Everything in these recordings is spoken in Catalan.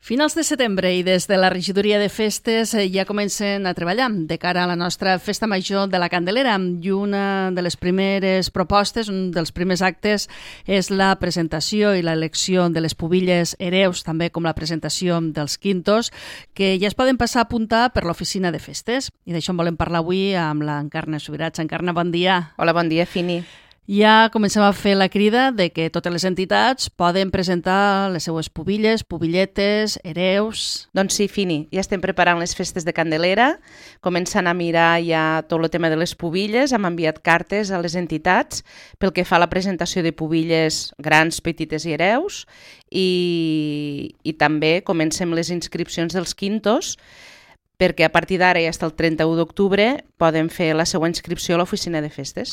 Finals de setembre i des de la regidoria de festes ja comencen a treballar de cara a la nostra festa major de la Candelera, i una de les primeres propostes, un dels primers actes, és la presentació i l'elecció de les pubilles hereus, també com la presentació dels quintos, que ja es poden passar a apuntar per l'oficina de festes. I d'això en volem parlar avui amb l'Encarna Subirats. Encarna, bon dia. Hola, bon dia, Fini. Ja comencem a fer la crida de que totes les entitats poden presentar les seues pubilles, pubilletes, hereus... Doncs sí, Fini, ja estem preparant les festes de Candelera, començant a mirar ja tot el tema de les pubilles, hem enviat cartes a les entitats pel que fa a la presentació de pubilles grans, petites i hereus, i també comencem les inscripcions dels quintos, perquè a partir d'ara i fins al 31 d'octubre poden fer la seva inscripció a l'oficina de festes.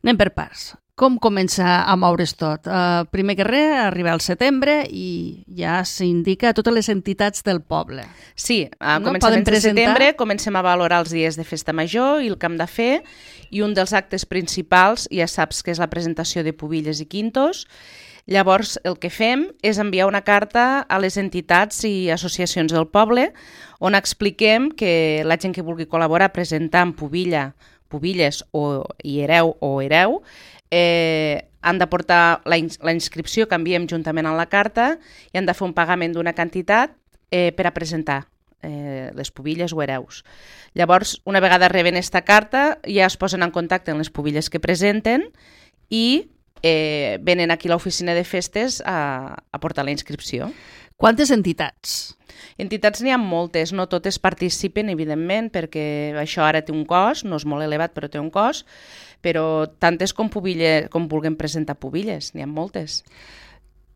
Anem per parts. Com comença a moure's tot? Primer que res, arriba al setembre i ja s'indica a totes les entitats del poble. Sí, a començaments de setembre comencem a valorar els dies de festa major i el que hem de fer, i un dels actes principals ja saps que és la presentació de pubilles i quintos. Llavors el que fem és enviar una carta a les entitats i associacions del poble on expliquem que la gent que vulgui col·laborar presentant pubilles i hereu han de portar la inscripció que enviem juntament amb la carta i han de fer un pagament d'una quantitat per a presentar les pubilles o hereus. Llavors, una vegada reben aquesta carta, ja es posen en contacte amb les pubilles que presenten i venen aquí a l'oficina de festes a portar la inscripció. Quantes entitats? Entitats n'hi ha moltes, no totes participen, evidentment, perquè això ara té un cost, no és molt elevat, però té un cost, però tantes com vulguem presentar pubilles, n'hi ha moltes.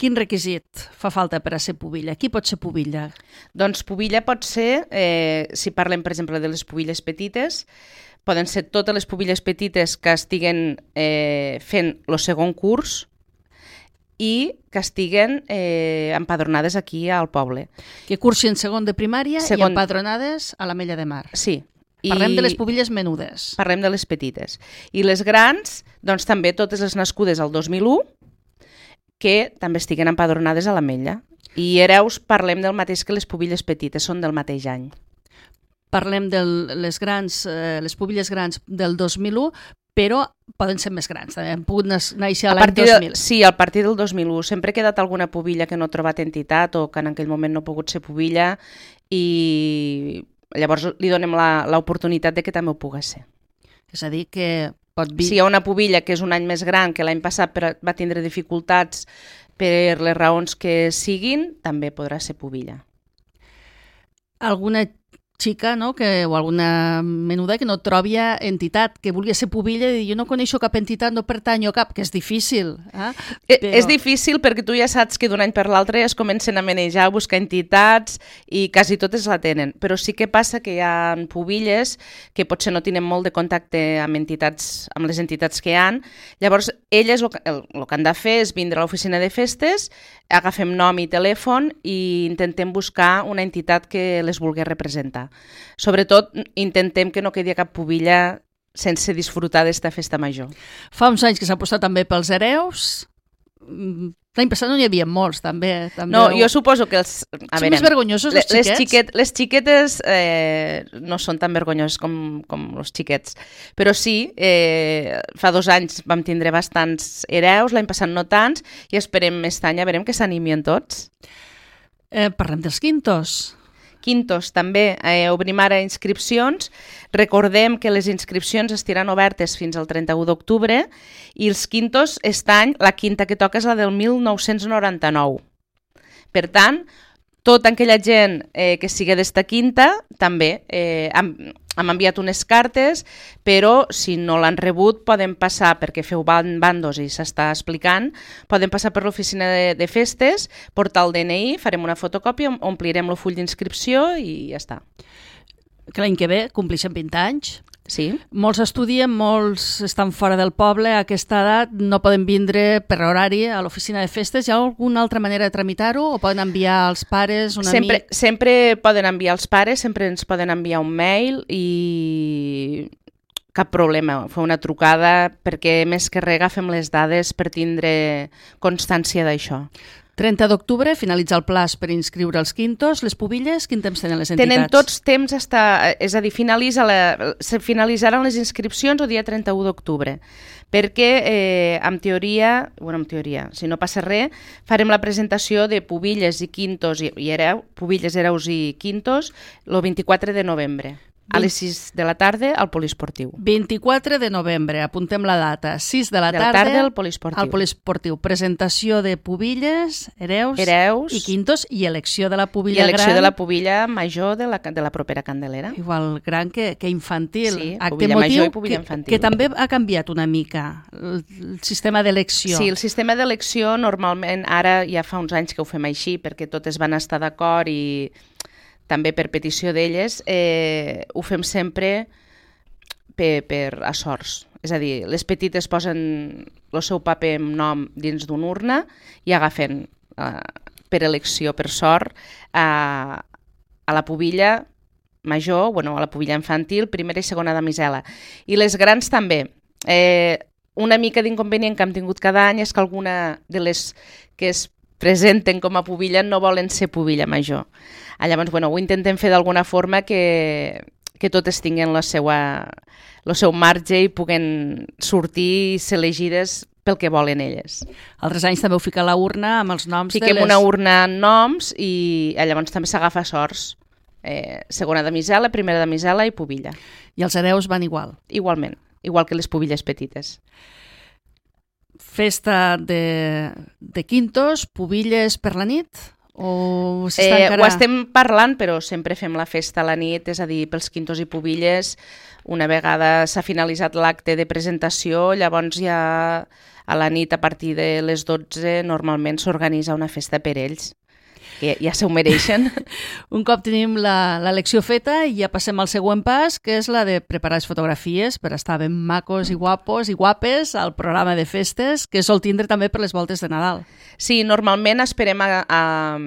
Quin requisit fa falta per a ser pubilla? Qui pot ser pubilla? Doncs pubilla pot ser, si parlem, per exemple, de les pubilles petites, poden ser totes les pubilles petites que estiguen fent el segon curs i que estiguen empadronades aquí al poble. Que cursin segon de primària i empadronades a l'Ametlla de Mar. Sí. Parlem de les pubilles menudes. Parlem de les petites. I les grans, doncs també totes les nascudes al 2001, que també estiguen empadronades a l'Ametlla. I hereus parlem del mateix que les pubilles petites, són del mateix any. Parlem de les pubilles grans del 2001, però poden ser més grans, també han pogut néixer l'any 2000. Sí, a partir del 2001. Sempre ha quedat alguna pubilla que no ha trobat entitat o que en aquell moment no ha pogut ser pubilla i llavors li donem l'oportunitat de que també ho pugui ser. És a dir, que pot Si hi ha una pubilla que és un any més gran, que l'any passat va tindre dificultats per les raons que siguin, també podrà ser pubilla. Alguna xica, no? O alguna menuda que no trobi entitat, que vulgui ser pubilla i dir, jo no coneixo cap entitat, no pertanyo a cap, que és difícil. És difícil perquè tu ja saps que d'un any per l'altre es comencen a manejar, a buscar entitats i quasi totes la tenen. Però sí que passa que hi ha pubilles que potser no tenen molt de contacte amb les entitats que hi ha. Llavors, elles el que han de fer és vindre a l'oficina de festes, agafem nom i telèfon i intentem buscar una entitat que les vulgui representar. Sobretot, intentem que no quedi cap pubilla sense disfrutar d'esta festa major. Fa uns anys que s'ha apostat també pels hereus. L'any passat no n'hi havia molts, també. No, jo suposo que són més vergonyosos els xiquets? Les xiquetes no són tan vergonyoses com els xiquets. Però sí, fa 2 anys vam tindre bastants hereus, l'any passat no tants, i esperem aquest any, veurem que s'animien tots. Parlem dels quintos. Quintos, també obrim ara inscripcions. Recordem que les inscripcions estiran obertes fins al 31 d'octubre i els quintos, aquest any, la quinta que toca és la del 1999. Per tant, tota aquella gent que sigui d'esta quinta, també hem enviat unes cartes, però si no l'han rebut poden passar, perquè feu bandos i s'està explicant, poden passar per l'oficina de festes, portar el DNI, farem una fotocòpia, omplirem el full d'inscripció i ja està. Que l'any que ve complixen 20 anys. Sí. Molts estudien, molts estan fora del poble, a aquesta edat no poden vindre per horari a l'oficina de festes. Hi ha alguna altra manera de tramitar-ho o poden enviar als pares, un amic? Sempre poden enviar als pares, sempre ens poden enviar un mail i cap problema, fer una trucada perquè més que res agafem les dades per tindre constància d'això. 30 d'octubre finalitza el plaç per inscriure els quintos. Les pubilles, quin temps tenen les entitats? Tenen tots temps, és a dir, se finalitzaran les inscripcions el dia 31 d'octubre, perquè en teoria, si no passa res, farem la presentació de pubilles i quintos pubilles, hereus i quintos el 24 de novembre. A les 6 de la tarda al poliesportiu. 24 de novembre, apuntem la data. 6 de la tarda al poliesportiu. Al poliesportiu. Presentació de pubilles, hereus i quintos i elecció de la pubilla gran. I elecció de la pubilla major de la propera Candelera. Igual gran que infantil. Sí, acte pubilla motiu major i pubilla infantil. Que també ha canviat una mica el sistema d'elecció. Sí, el sistema d'elecció normalment, ara ja fa uns anys que ho fem així, perquè totes van estar d'acord i també per petició d'elles, ho fem sempre a sorts. És a dir, les petites posen el seu paper amb nom dins d'una urna i agafen per elecció, per sort, a la pubilla major, a la pubilla infantil, primera i segona damisela. I les grans també. Una mica d'inconvenient que hem tingut cada any és que alguna de les que es presenten com a pubilla no volen ser pubilla major. Llavors, ho intentem fer d'alguna forma que totes tinguin el seu marge i puguen sortir i ser elegides pel que volen elles. Altres anys també heu ficat la urna amb els noms Fiquem una urna amb noms i llavors també s'agafa sorts. Segona damisela, primera damisela i pubilla. I els hereus van igual? Igualment, igual que les pubilles petites. Festa de quintos, pubilles per la nit? O encara... Ho estem parlant, però sempre fem la festa a la nit, és a dir, pels quintos i pubilles, una vegada s'ha finalitzat l'acte de presentació, llavors ja a la nit, a partir de les 12, normalment s'organitza una festa per ells, que ja s'ho mereixen. Un cop tenim l'elecció feta i ja passem al següent pas, que és la de preparar les fotografies per estar ben macos i guapos i guapes al programa de festes, que sol tindre també per les voltes de Nadal. Sí, normalment esperem a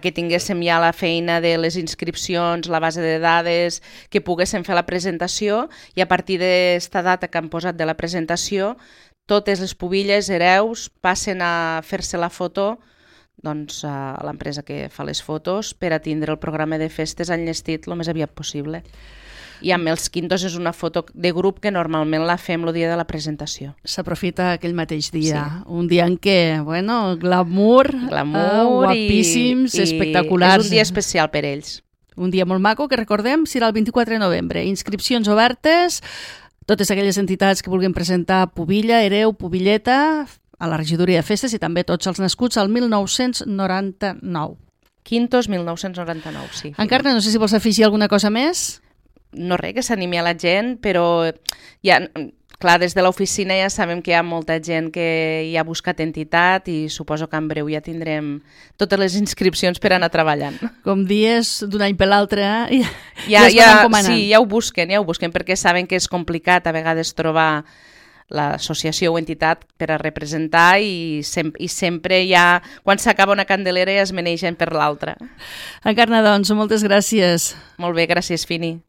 que tinguéssim ja la feina de les inscripcions, la base de dades, que poguéssim fer la presentació i a partir d'esta data que han posat de la presentació, totes les pubilles, hereus, passen a fer-se la foto a l'empresa que fa les fotos per a tindre el programa de festes enllestit el més aviat possible. I amb els quintos és una foto de grup que normalment la fem el dia de la presentació. S'aprofita aquell mateix dia, sí. Un dia en què, glamour guapíssims, espectaculars. És un dia especial per ells. Un dia molt maco que recordem serà el 24 de novembre. Inscripcions obertes, totes aquelles entitats que vulguin presentar pubilla, hereu, pubilleta, a la regidoria de festes i també tots els nascuts al 1999. Quintos 1999, sí. Encarna, no sé si vols afegir alguna cosa més? No res, que s'animi a la gent, però ja, clar, des de l'oficina ja sabem que hi ha molta gent que ja ha buscat entitat i suposo que en breu ja tindrem totes les inscripcions per anar treballant. Com dies d'un any per l'altre, ja es van encomanant. Sí, ja ho busquen perquè saben que és complicat a vegades trobar l'associació o entitat per a representar i sempre ja, quan s'acaba una candelera ja es menegen per l'altra. Encarna, doncs, moltes gràcies. Molt bé, gràcies, Fini.